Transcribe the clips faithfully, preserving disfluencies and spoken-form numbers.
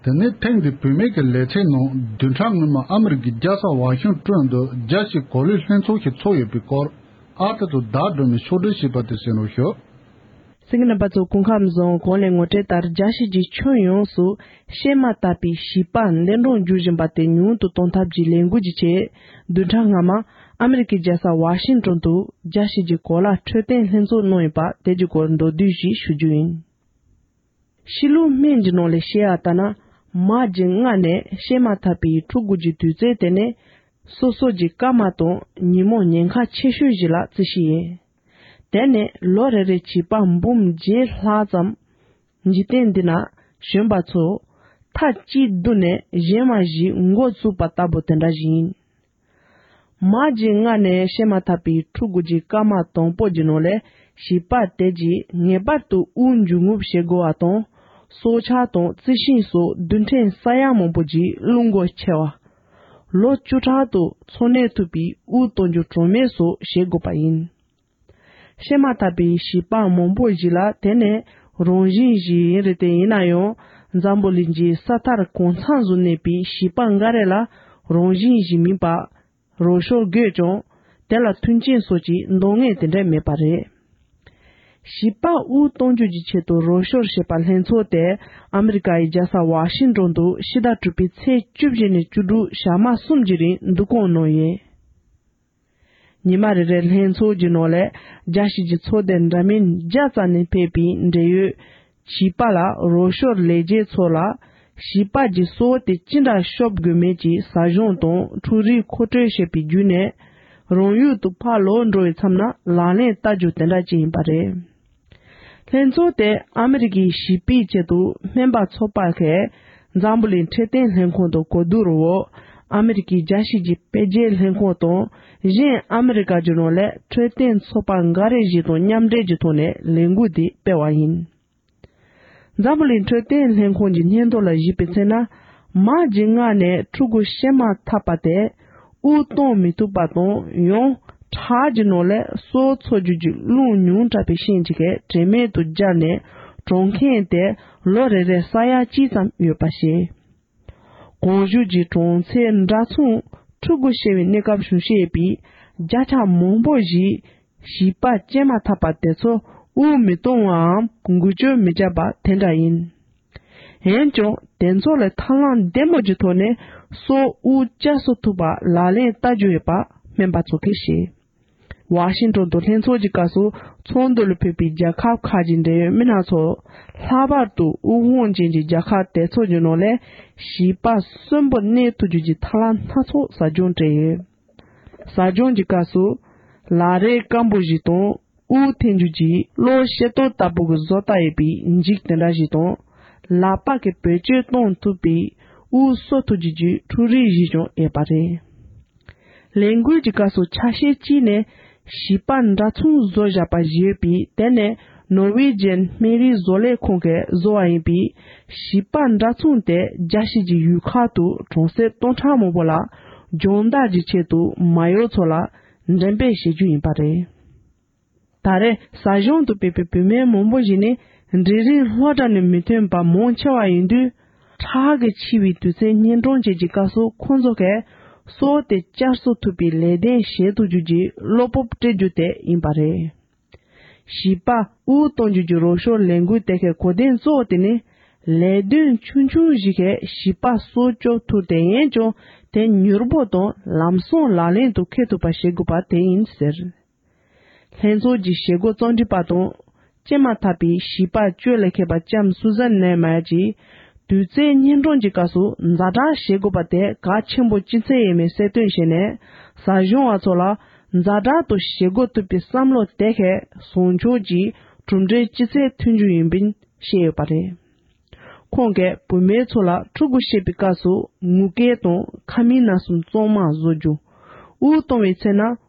དེ་ནས་ཐེངས་འདིའི་བུད་མེད་ཀྱི་ལེ་ཚན་ནང་བདུན་ཕྲག་སྔོན་མ་ཨ་མི་རི་ཀའི་རྒྱལ་ས་ཝ་ཤིང་ཏོན་དུ་རྒྱལ་སྤྱིའི་གོ་ལའི་ལྷན་ཚོགས་ཤིག་ཚོགས་ཡོད་པའི་སྐོར་ཨ་ཏི་ཏུ་བདག་སྒྲོལ་མས་ཕྱོགས་སྒྲིག་བྱས་པ་དེ་གསན་རོགས་ཞུ། གསན་མཁན་རྣམ་པ་ཚོ་སྐུ་ཁམས་བཟང་། གོང་ལས་ངོ་སྤྲོད་ལྟར་རྒྱལ་སྤྱི་གི་ཁྱོན་ཡོངས་སུ་བཤད་མ་ཐག་པའི་བྱིས་པ་འདས་གྲོངས་འགྱུར་བཞིན་པ་དེ་ཉུང་དུ་གཏོང་ཐབས་ཀྱི་ལས་འགུལ་གྱི་ཆེད་བདུན་ཕྲག་སྔ་མ་ཨ་མི་རི་ཀའི་རྒྱལ་ས་ཝ་ཤིང་ཏོན་དུ་རྒྱལ་སྤྱི་གི་གོ་ལ་འཕྲོད་བསྟེན་ལྷན་ཚོགས་གནང་ཡོད་པ་དེ་གྱི་སྐོར་མདོར་བསྡུས་ཤིག་ཞུ་རྒྱུ་ཡིན། ཕྱི་ལུགས་སྨན་གྱི་ནང་ལས་བཤད་ཡ་ལྟར་ན། མ་གི་མངལ་ནས་བཤད་མ་ཐག་པའི་ཕྲུ་གུ་གི་དུས་ཚོད་དེ་ནི་སོ་སོ་གི་སྐར་མ་དང་ཉིན་མོ་ཉེན་ཁ་ཆེ་ཤོས་ཤིག་ལ་བརྩི་ཞིག་ཡིན། དེ་ནས་ལོ་རེ་རེ་བྱིས་པ་འབུམ་བརྒྱད་ལྷག་ཙམ་འཇིག་རྟེན་འདི་ན་བྱོན་པ་ཚོ་མཐའ་གཅིག་བསྡུས་ནས་གཞན་མ་ཞིག་འགོ་བཙུགས་པ་ལྟ་བུ་དེ་འདྲ་ཞིག་ཡིན། མ་གི་མངལ་ནས་བཤད་མ་ཐག་པའི་ཕྲུ་གུ་གི་སྐར་མ་དང་པོ་གི་ནང་ལས་བྱིས་པ་དེ་གྱིས་ངེས་པར་དུ་དབུགས་འབྱིན་རྔུབ་བྱེད་དགོས་པ་དང་། སྲོག་ཆགས་དང་རྩི་ཤིང་སོགས་རྡུལ་ཕྲན་ས་ཡ་མང་པོ་གྱི་རླུང་འགོ་ཆེ་བ། ལོ་བཅུ་ཕྲག་ཏུ་འཚོ་གནས་ཐུབ་པའི་དབུགས་གཏོང་རྒྱུ་གྲངས་མེད་སོགས་བྱེད་དགོས་པ་ཡིན། བཤད་མ་ཐག་པའི་བྱིས་པ་མང་པོ་ཞིག་ལ་དེ་ནི་རང་བཞིན་ཞིག་ཡིན་རེད། དེ་ཡིན་ན་ཡང་འཛམ་བུ་གླིང་གི་ས་མཐར་གང་འཚམ་ཞིག་གནས་པའི་བྱིས་པ་འགའ་རེ་ལ་རང་བཞིན་ཞིག་མིན་པ་རོགས་སྐྱོར་དགོས་ཀྱང་དེ་ལ་མཐུན་རྐྱེན་སོགས་ཀྱི་འདང་ངེས་དེ་འདྲ་མེད་པ་རེད། བྱིས་པ་དབུགས་གཏོང་རྒྱུ་གྱི་ཆེད་དུ་རོགས་སྐྱོར་བྱེད་པ་ལྷན་ཚོགས་དེ་ཨ་མི་རི་ཀ་ཡི་རྒྱལ་ས་ཝ་ཤིང་ཏོན་དུ་ཕྱི་ཟླ་དྲུག་པའི་ཚེས་བཅུ་བཞི་ནས་བཅུ་དྲུག་ཞག་མ་གསུམ་གྱི་རིང་འདུ་སྐོང་གནང་ཡོད། ཉི་མ་རེ་རེར་ལྷན་ཚོགས་ཀྱི་ནང་ལས་རྒྱལ་སྤྱི་གི་ཚོགས་སྡེ་འདྲ་མིན་བརྒྱ་ཙམ་ནས་ཕེབས་པའི་འབྲེལ་ཡོད་བྱིས་པ་ལ་རོགས་སྐྱོར་ལས་བྱེད་ཚོ་ལ་བྱིས་པ་གྱི་སྲོག་དེ་ཅི་འདྲ་སྐྱོབ་དགོས་མིན་གྱི་ཟབ་སྦྱོང་དང་འཕྲུལ་རིག་མཁོ་སྤྲོད་བྱེད་པའི་བརྒྱུད་ནས་རང་ཡུལ་དུ་ཕར་ལོག་འགྲོ་བའི་མཚམས་ན་ལག་ལེན་བསྟར་རྒྱུ་དེ་འདྲ་ཅིག་ཡིན་པ་རེད། ལྷན་ཚོགས་དེ་ཨ་མི་རི་ཀའི་བྱིས་པའི་ཆེད་དུ་སྨན་པ་ཚོགས་པ་ཁག་འཛམ་བུ་གླིང་འཕྲོད་བསྟེན་ལྷན་ཁང་དང་གོ་བསྡུར་འོག་ཨ་མི་རི་ཀའི་རྒྱལ་སྤྱི་གི་དཔེ་རྒྱས་ལྷན་ཁང་དང་གཞན་ཨ་མི་རི་ཀ་གྱི་ནང་ལས་འཕྲོད་བསྟེན་ཚོགས་པ་འགའ་རེ་ཞིག་དང་མཉམ་འབྲེལ་གྱི་ཐོག་ནས་ལས་འགུལ་འདི་སྤེལ་བ་ཡིན། འཛམ་བུ་གླིང་འཕྲོད་བསྟེན་ལྷན་ཁང་གི་སྙན་ཐོ་ལ་གཞིགས་པའི་ཚེ་ན། མ་གི་མངལ་ནས་ཕྲུ་གུ་བཤད་མ་ཐག་པ་དེ་དབུགས་གཏོང་མི་ཐུབ་པ་དང་ཡང་ཁྲག་གི་ནང་ལས་སྲོག་འཚོ་རྒྱུ་གྱི་རླུང་ཉུང་དྲགས་པའི་རྐྱེན་གྱིས་དྲན་མེད་དུ་འབྱར་ནས་གྲོངས་མཁན་དེ་ལོ་རེ་རེར་ས་ཡ་གཅིག་ཙམ་ཡོད་པ་བཤད། གོང་ཞུས་ཀྱི་གྲངས་ཚད་འདྲ་མཚུངས་ཕྲུ་གུ་བཤད་པའི་གནས་སྐབས་བྱུང་བཤད་པའི་བརྒྱ་ཆ་མང་པོ་ཞིག་བྱིས་པ་སྐྱེས་མ་ཐག་པ་དེ་ཚོ་དབུགས་མི་གཏོང་བའམ་འགུལ་སྐྱོད་མི་བྱེད་པ་དེ་འདྲ་ཡིན། འོན་ཀྱང་དེ་ཚོ་ལ་ཐབས་ལམ་བདེ་མོ་གྱི་ཐོག་ནས་སྲོག་དབུགས་བསྐྱར་གསོ་ཐུབ་པ་ལག་ལེན་བསྟར་རྒྱུ་ཡོད་པ་སྨན་པ་ཚོ་གིས་བཤད། ཝ་ཤིང་ཏོན་དུ་ལྷན་ཚོགས་ཀྱི་སྐབས་སུ་ཚོགས་འདུ་ལ་ཕེབས་པའི་རྒྱལ་ཁབ་ཁག་གི་འབྲེལ་ཡོད་མི་སྣ་ཚོ་ལྷག་པར་དུ་དབུགས་ཕོངས་ཅན་གྱི་རྒྱལ་ཁབ་དེ་ཚོ་གི་ནང་ལས་བྱིས་པ་གསོན་པོ་གནས་ཐུབ་རྒྱུ་གྱི་ཐབས་ལམ་སྣ་ཚོགས་ཟབ་སྦྱོང་སྤྲད་ཡོད། ཟབ་སྦྱོང་གི་སྐབས་སུ་ལག་རས་སྐམ་པོ་ཞིག་དང་དབུགས་འཐེན་རྒྱུ་གྱི་གློག་ཤེལ་ཏོག་ལྟ་བུ་གི་བཟོ་ལྟ་ཡོད་པའི་འགྱིག་དེ་འདྲ་ཞིག་དང་ལག་པ་གི་བེད་སྤྱོད་གཏོང་ཐུབ་པའི་དབུགས་གསོ་ཐུབ་རྒྱུ་གྱི་འཕྲུལ་རིགས་ཞིག་ཀྱང་ཡོད་པ་རེད། ལས་འགུལ་གྱི་སྐབས་སུ་ཆ་ཤས་གཅིག་ནས་བྱིས་པ་འདྲ་མཚུངས་བཟོ་བཞག་པ་ཞིག་ཡོད་པས་དེ་ནི་ནོར་ཝེ་ཇན་སྨན་རིགས་བཟོ་ལས་ཁང་གིས་བཟོ་བ་ཡིན་པས་བྱིས་པ་འདྲ་མཚུངས་དེ་རྒྱལ་སྤྱི་གི་ཡུལ་ཁག་ཏུ་གྲོང་གསེབ་སྟོང་ཕྲག་མང་པོ་ལ་སྦྱོང་བརྡར་གྱི་ཆེད་དུ་མ་ཡོང་ཚོ་ལ་འགྲེམས་སྤེལ་བྱེད་རྒྱུ་ཡིན་པ་རེད། ད་རེས་ཟབ་སྦྱོང་དུ་ཕེབས་པའི་བུད་མེད་མང་པོ་ཞིག་ནི་འབྲིང་རིམ་སློབ་གྲྭ་ནས་མི་ཐོན་པ་མང་ཆེ་བ་ཡིན་དུས། ཁྲག་གིས་འཆི་བའི་དུས་ཚོད་གཉན་འཕྲང་ཅན་གྱི་སྐབས་སུ་ཁོང་ཚོ་གས་སྲོག་དེ་བསྐྱར་གསོ་ཐུབ་པའི་ལས་དོན་བྱེད་ཐུབ་རྒྱུ་གྱི་བློ་སྤོབས་སྤྲད་རྒྱུ་དེ་ཡིན་པ་རེད། བྱིས་པ་དབུགས་གཏོང་རྒྱུ་གྱི་རོགས་སྐྱོར་ལས་འགུལ་དེ་གའི་གོ་དོན་གཙོ་བོ་དེ་ནི། ལས་དོན་ཆུང་ཆུང་ཞིག་གིས་བྱིས་པ་སྲོག་སྐྱོབ་ཐུབ་དེ་ཡིན་ཀྱང་དེ་མྱུར་པོ་དང་ལམ་སང་ལག་ལེན་དུ་འཁེལ་ཐུབ་པ་བྱེད་དགོས་པ་དེ་ཡིན་ཟེར། ལྷན་ཚོགས་ཀྱི་བྱེད་སྒོ་རྩོམ་སྒྲིག་པ་དང་། སྐྱེས་མ་ཐག་པའི་བྱིས་པ་བཅོལ་ལ་མཁས་པ་ལྕམ་སུ་ཟན་ནེ་མ་ཡར་གྱིས། དུས་ཚོད་གཉན་འཕྲང་གྱི་སྐབས་སུ་ཛ་དྲག་བྱེད་དགོས་པ་དེ་གལ་ཆེན་པོ་ཅི་ཚད་ཡིན་མིན་གསལ་སྟོན་བྱས་ནས། ཟབ་སྦྱོང་བ་ཚོ་ལ་ཛ་དྲག་ཏུ་བྱེད་དགོས་ཐུག་པའི་བསམ་བློ་དེ་གས་བཟང་ཕྱོགས་ཀྱི་གྲུབ་འབྲས་ཅི་ཚད་ཐོན་རྒྱུ་ཡིན་པ་བཤད་ཡོད་པ་རེད། ཁོང་གིས་བུད་མེད་ཚོ་ལ་ཕྲུ་གུ་བཤད་པའི་སྐབས་སུ་ངུ་སྐད་དང་ཁ་མིག་ནང་གསུམ་གཙང་མ་བཟོ་རྒྱུ། དབུགས་གཏོང་བའི་ཚེ་ན་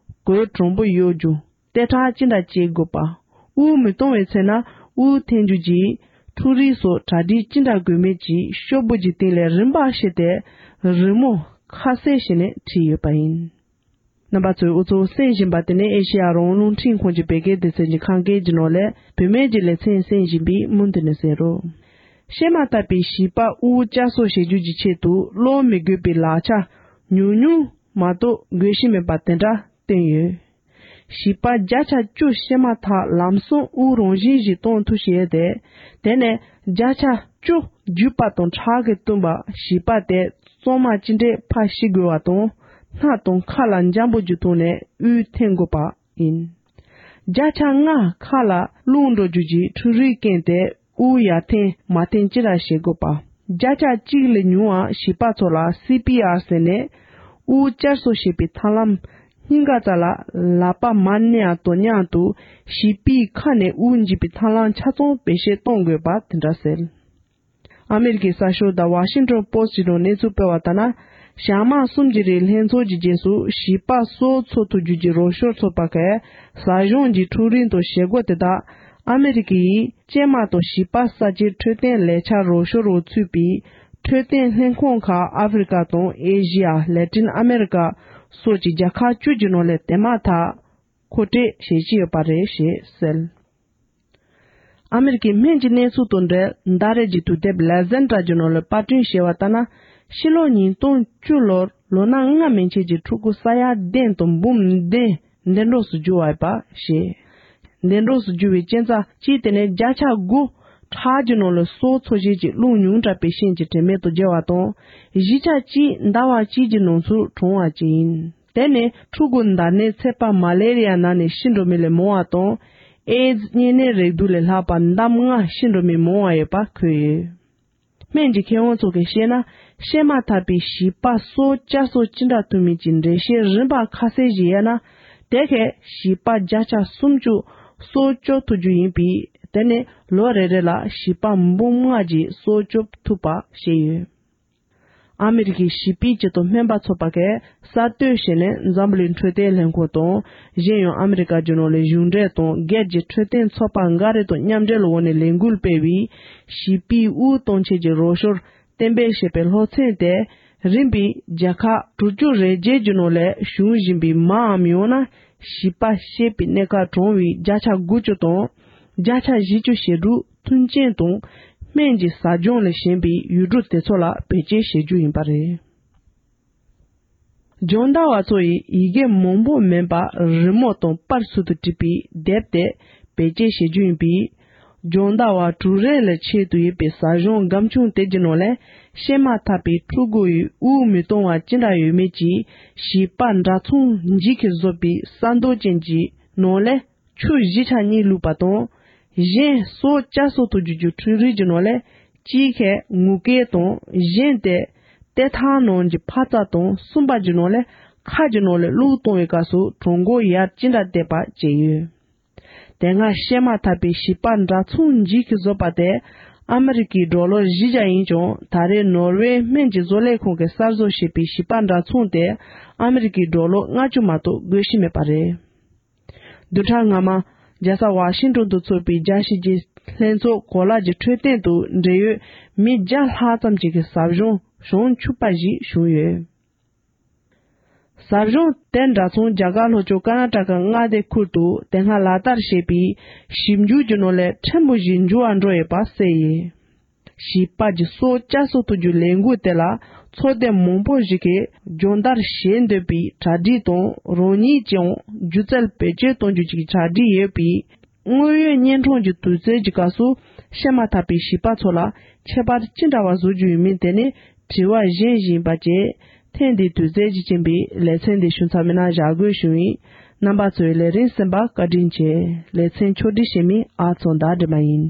གོས་དྲོན་པོ་གཡོག་རྒྱུ། ལྟེ་ཁྲག་ཅི་འདྲ་བཅད་དགོས་པ། དབུགས་མི་གཏོང་བའི་ཚེ་ན་དབུགས་འཐེན་རྒྱུ་གྱི་འཕྲུལ་རིགས་སོགས་གྲ་སྒྲིག་ཅི་འདྲ་དགོས་མིན་གྱི་ཤོག་བུ་གྱི་སྟེང་ལས་རིམ་པ་བྱས་ཏེ་རི་མོ་ཁ་གསལ་བྱས་ནས་བྲིས་ཡོད་པ་ཡིན། རྣམ་པ་ཚོས་འུ་ཚོ་གསན་བཞིན་པ་དེ་ནི་ཨེ་ཤེ་ཡ་རང་དབང་རླུང་འཕྲིན་ཁང་གི་བོད་སྐད་སྡེ་ཚན་གྱི་ཁམས་སྐད་ཀྱི་ནང་ལས་བུད་མེད་ཀྱི་ལེ་ཚན་གསན་བཞིན་པའི་མུ་མཐུད་ནས་གསན་རོགས། བཤད་མ་ཐག་པའི་བྱིས་པ་དབུགས་བསྐྱར་གསོ་བྱེད་རྒྱུ་གྱི་ཆེད་དུ་གློད་མི་དགོས་པའི་ལག་ཆ་ཉུང་ཉུང་མ་གཏོགས་དགོས་ཀྱི་མེད་པ་དེ་འདྲ་བསྟན་ཡོད། བྱིས་པ་བརྒྱ་ཆ་བཅུ་བཤད་མ་ཐག་ལམ་སང་དབུགས་རང་བཞིན་གྱིས་གཏོང་ཐུབ་ཀྱི་ཡོད་དེ། དེ་ནས་བརྒྱ་ཆ་བཅུ་རྒྱུད་པ་དང་ཁྲག་གིས་བཏུམས་པ་བྱིས་པ་དེ་གཙང་མ་ཅི་འདྲའི་ཕར་ཤི་དགོས་པ་དང་། སྣ་དང་ཁ་ལ་འཇམ་པོ་རྒྱུ་བཏང་ནས་དབུགས་འཐེན་དགོས་པ་ཡིན། བརྒྱ་ཆ་ལྔ་ཁ་ལ་རླུང་འགྲོ་རྒྱུ་གྱི་འཕྲུལ་རིགས་བཀན་ཏེ་དབུགས་ཡར་འཐེན་མར་འཐེན་ཅི་ར་བྱེད་དགོས་པ། བརྒྱ་ཆ་གཅིག་ལས་ཉུང་བ་བྱིས་པ་ཚོ་ལ་སི་པི་ཨར་ཟེར་ནས་དབུགས་བསྐྱར་གསོ་བྱེད་པའི་ཐབས་ལམ་སྙིང་ག་རྩ་ལ་ལག་པ་མར་མནན་ཡག་དང་མཉམ་དུ་བྱིས་པའི་ཁ་ནས་དབུགས་འབྱིན་པའི་ཐབས་ལམ་ཆ་ཚང་བེད་སྤྱོད་གཏོང་དགོས་པ་དེ་འདྲ་ཟེར། ཨ་མེ་རི་ཀའི་གསར་ཤོག་The Washington Post གྱི་ནང་གནས་ཚུལ་སྤེལ་བ་ལྟར་ན། ཞག་མ་གསུམ་གྱི་རིང་ལྷན་ཚོགས་ཀྱི་རྗེས་སུ་བྱིས་པ་སྲོག་འཚོ་ཐུབ་རྒྱུ་གྱི་རོགས་སྐྱོར་ཚོགས་པ་ཁག་ཟ་གཞུང་གི་འཕྲུལ་རིགས་དང་བྱེད་སྒོ་དེ་དག་ཨ་མེ་རི་ཀའི་སྐྱེས་མ་དང་བྱིས་པ་ས་ཆའི་འཕྲོད་བསྟེན་ལས་འཆར་རོགས་སྐྱོར་འོག་ཚུད་པའི་འཕྲོད་བསྟེན་ལྷན་ཁང་ཁག་ཨ་ཧྥེ་རི་ཀ་དང་ཨེ་ཤི་ཡ། ལེ་ཏིན་ཨ་མེ་རི་ཀ་སོགས་ཀྱི་རྒྱལ་ཁབ་བཅུ་གྱི་ནང་ལ་དེ་མ་ཐག་མཁོ་སྤྲོད་བྱེད་ཀྱི་ཡོད་པ་རེད་ཞེས་གསལ། ཨ་མེ་རི་ཀའི་སྨན་གྱི་གནས་ཚུལ་དང་འབྲེལ་ཟླ་རེ་གྱི་དུས་དེབ་ལེ་ཟན་ཊ་གྱི་ནང་ལ་པར་སྐྲུན་བྱས་པ་ལྟར་ན། ཕྱི་ལོ་ཉིས་སྟོང་བཅུ་ལོར་ལོ་ན་ལྔ་མན་ཆད་ཀྱི་ཕྲུ་གུ་ས་ཡ་བདུན་དང་འབུམ་བདུན་འདས་གྲོངས་སུ་གྱུར་བ་ཡིན་པ་ཞེས། འདས་གྲོངས་སུ་གྱུར་བའི་རྐྱེན་རྩ་གཅིག་དེ་ནི་བརྒྱ་ཆ་དགུ་ཁྲག་གི་ནང་ལ་སྲོག་འཚོ་བྱེད་ཀྱི་རླུང་ཉུང་དྲགས་པའི་རྐྱེན་གྱིས་དྲན་མེད་དུ་བརྒྱལ་བ་དང་། བཞི་ཆ་གཅིག་ཟླ་བ་གཅིག་གི་ནང་ཚུད་གྲོངས་པ་བཅས་ཡིན། དེ་ནི་ཕྲུ་གུ་ཟླ་ནད་ཚད་པ་མ་ལེ་རི་ཡ་ན་ནས་ཤི་འགྲོ་མི་ལས་མང་བ་དང་། ཨེ་ཛི་གཉན་ནད་རེག་དུག་ལས་ལྷག་པ་ཟླ་ལྔ་ཤི་འགྲོ་མི་མང་བ་ཡོད་པ་འཁོད་ཡོད། སྨན་གྱི་མཁས་དབང་ཚོ་གིས་བཤད་ན། བཤད་མ་ཐག་པའི་བྱིས་པ་སྲོག་བསྐྱར་གསོ་ཅི་འདྲ་ཐུབ་མིན་གྱི་འགྲེལ་བཤད་རིམ་པ་ཁ་གསལ་ཞིག་ཡོད་ན། དེ་གས་བྱིས་པ་བརྒྱ་ཆ་སུམ་ཅུ་སྲོག་སྐྱོབ་ཐུབ་རྒྱུ་ཡིན་པས། དེ་ནི་ལོ་རེ་རེ་ལ་བྱིས་པ་འབུམ་ལྔ་ཅིག་སྲོག་སྐྱོབ་ཐུབ་པ་བཤད་ཡོད། ཨ་མེ་རི་ཀའི་བྱིས་པའི་སྤྱི་དང་སྨན་པ་ཚོགས་པ་གས་གསར་གཏོད་བྱས་ནས་འཛམ་བུ་གླིང་འཕྲོད་བསྟེན་ལྷན་ཁང་དང་། གཞན་ཡང་ཨ་མེ་རི་ཀ་རྒྱུ་ནོར་ལས་གཞུང་འབྲེལ་དང་སྒེར་གྱི་འཕྲོད་བསྟེན་ཚོགས་པ་འགའ་རེ་དང་མཉམ་འབྲེལ་འོག་ནས་ལས་འགུལ་སྤེལ་བའི་བྱིས་པའི་དབུགས་གཏོང་ཆེད་ཀྱི་རོགས་སྐྱོར་གཏན་འབེབས་བྱས་པའི་སློབ་ཚན་དེ་རིམ་པས་རྒྱལ་ཁབ་དྲུག་ཅུ་རེ་བརྒྱད་ཀྱི་ནང་ལས་ཞུགས་བཞིན་པའི་མའམ་ཡང་ན་བྱིས་པ་སྐྱེས་པའི་གནས་སྐབས་གྲོངས་པའི་བརྒྱ་ཆ་དགུ་བཅུ་དང་། བརྒྱ་ཆ་བཞི་བཅུ་ཞེ་དྲུག་མཐུན་རྐྱེན་དང་སྨན་གྱི་ཟབ་སྦྱོང་ལས་གཞན་པའི་ཡུལ་གྲུ་དེ་ཚོ་ལ་བེད་སྤྱོད་བྱེད་རྒྱུ་ཡིན་པ་རེད། སྦྱོང་བརྡར་བ་ཚོ་ཡིས་ཡི་གེ་མང་པོ་མིན་པ་རི་མོ་དང་པར་ཚུལ་དུ་བྲིས་པའི་དེབ་དེ་བེད་སྤྱོད་བྱེད་རྒྱུ་ཡིན་པས། སྦྱོང་བརྡར་བ་དྲུག་རེ་ལ་ཆེད་དུ་ཡོད་པའི་ཟབ་སྦྱོང་སྒམ་ཆུང་དེ་གྱི་ནང་ལས་བཤད་མ་ཐག་པའི་ཕྲུ་གུ་ཡི་དབུགས་མི་གཏོང་བ་ཅི་འདྲ་ཡོད་མེད་ཀྱི་བྱིས་པ་འདྲ་མཚུངས་འཇིགས་ཀྱིས་བཟོད་པའི་ས་རྡོ་ཅན་གྱི་ནང་ལས་ཆུ་བཞི་ཆ་གཉིས་བླུགས་པ་དང་། གཞན་སྲོག་བསྐྱར་གསོ་ཐུབ་རྒྱུ་གྱི་འཕྲུལ་རིགས་ཀྱི་ནང་ལས་གཅིག་ཁས་ངུ་སྐད་དང་། གཞན་དེ་ཏེ་ཐང་ནང་གི་འཕར་རྩ་དང་། གསུམ་པ་གྱི་ནང་ལས་ཁ་གྱི་ནང་ལས་བླུགས་གཏོང་བའི་སྐབས་སུ་གྲང་འགུལ་ཡར་ཅི་འདྲ་བཏེགས་པ་བཅས་ཡོད། དེ་སྔ་བཤད་མ་ཐག་པའི་བྱིས་པ་འདྲ་མཚུངས་འཇིགས་ཀྱིས་བཟོད་པ་དེ་ཨ་མི་རི་ཀའི་ཌོ་ལར་བཞི་བརྒྱ་ཡིན་ཀྱང་། ད་རེས་ནོར་ཝེ་སྨན་གྱི་བཟོ་ལས་ཁང་གིས་གསར་བཟོ་བྱས་པའི་བྱིས་པ་འདྲ་མཚུངས་དེ་ཨ་མི་རི་ཀའི་ཌོ་ལར་ལྔ་བཅུ་མ་གཏོགས་དགོས་ཀྱི་མེད་པ་རེད། བདུན་ཕྲག་སྔ་མ། རྒྱལ་ས་ཝ་ཤིང་ཏོན་དུ་ཚོགས་པའི་རྒྱལ་སྤྱིའི་ལྷན་ཚོགས་གོ་ལ་གྱི་འཕྲོད་བསྟེན་དང་འབྲེལ་ཡོད་མི་བརྒྱ་ལྷག་ཙམ་ཞིག་གིས་ཟབ་སྦྱོང་བྱང་ཆུབ་པ་ཞིག་བྱུང་ཡོད། ཟབ་སྦྱོང་དེ་འདྲ་མཚུངས་རྒྱ་གར་ལྷོ་ཕྱོགས་ཀར་ན་ཊ་ཀ་མངའ་སྡེ་ཁུལ་དུ་དེ་སྔ་ལག་བསྟར་བྱས་པའི་ཞིབ་འཇུག་གི་ནང་ལས་ཕྲན་བུ་ཞིག་འགྱུར་བ་འགྲོ་ཡོད་པ་གསལ་ཡོད། བྱིས་པ་གྱི་སྲོག་བསྐྱར་གསོ་ཐུབ་རྒྱུའི་ལས་འགུལ་དེ་ལ་ཚོགས་སྡེ་མང་པོ་ཞིག་གིས་སྦྱོང་བརྡར་བྱེད་འདོད་པའི་གྲ་སྒྲིག་དང་། རང་ཉིད་ཀྱང་སྒྱུ་རྩལ་བེད་སྤྱོད་གཏོང་རྒྱུ་གྱི་གྲ་སྒྲིག་ཡོད་པས། དངོས་ཡོད་གཉན་འཕྲང་གི་དུས་ཚོད་ཀྱི་སྐབས་སུ་བཤད་མ་ཐག་པའི་བྱིས་པ་ཚོ་ལ་ཁྱད་པར་ཅི་འདྲ་བ་བཟོ་རྒྱུ་ཡིན་མིན་དེ་ནི་དྲི་བ་གཞན་ཞིག་ཡིན་པ་བཅས། ཐེངས་འདིའི་དུས་ཚོད་ཀྱི་རྐྱེན་པས་ལེ་ཚན་འདི་ཞུ་མཚམས་མེད་ན་བཞག་དགོས་བྱུང་ཡིན། རྣམ་པ་ཚོས་ལས་རིམ་གསན་པར་བཀའ་དྲིན་ཆེ། ལེ་ཚན་ཕྱོགས་སྒྲིག་བྱེད་མི་ཨ་ཚོ་ཟླ་སྒྲོལ་མ་ཡིན།